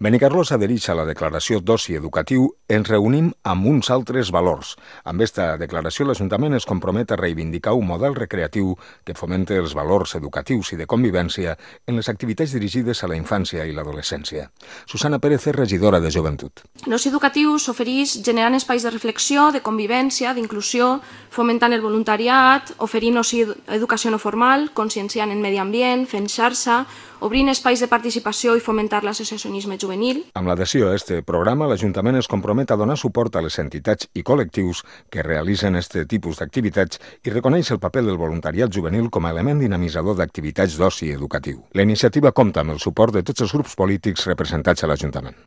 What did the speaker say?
Benicarló s'adhereix a la declaració d'oci educatiu ens reunim amb uns altres valors. Amb esta declaració l'Ajuntament es compromet a reivindicar un model recreatiu que fomenta els valors educatius i de convivència en les activitats dirigides a la infància i l'adolescència. Susana Pérez és regidora de Joventut. L'oci educatiu s'ofereix generant espais de reflexió, de convivència, d'inclusió, fomentant el voluntariat, oferint oci educació no formal, conscienciant en medi ambient, fent xarxa, obrint espais de participació i fomentar l'associacionisme juvenil. Amb l'adhesió a aquest programa, l'Ajuntament es compromet a donar suport a les entitats i col·lectius que realitzen aquest tipus d'activitats i reconeix el paper del voluntariat juvenil com a element dinamitzador d'activitats d'oci educatiu. La iniciativa compta amb el suport de tots els grups polítics representats a l'Ajuntament.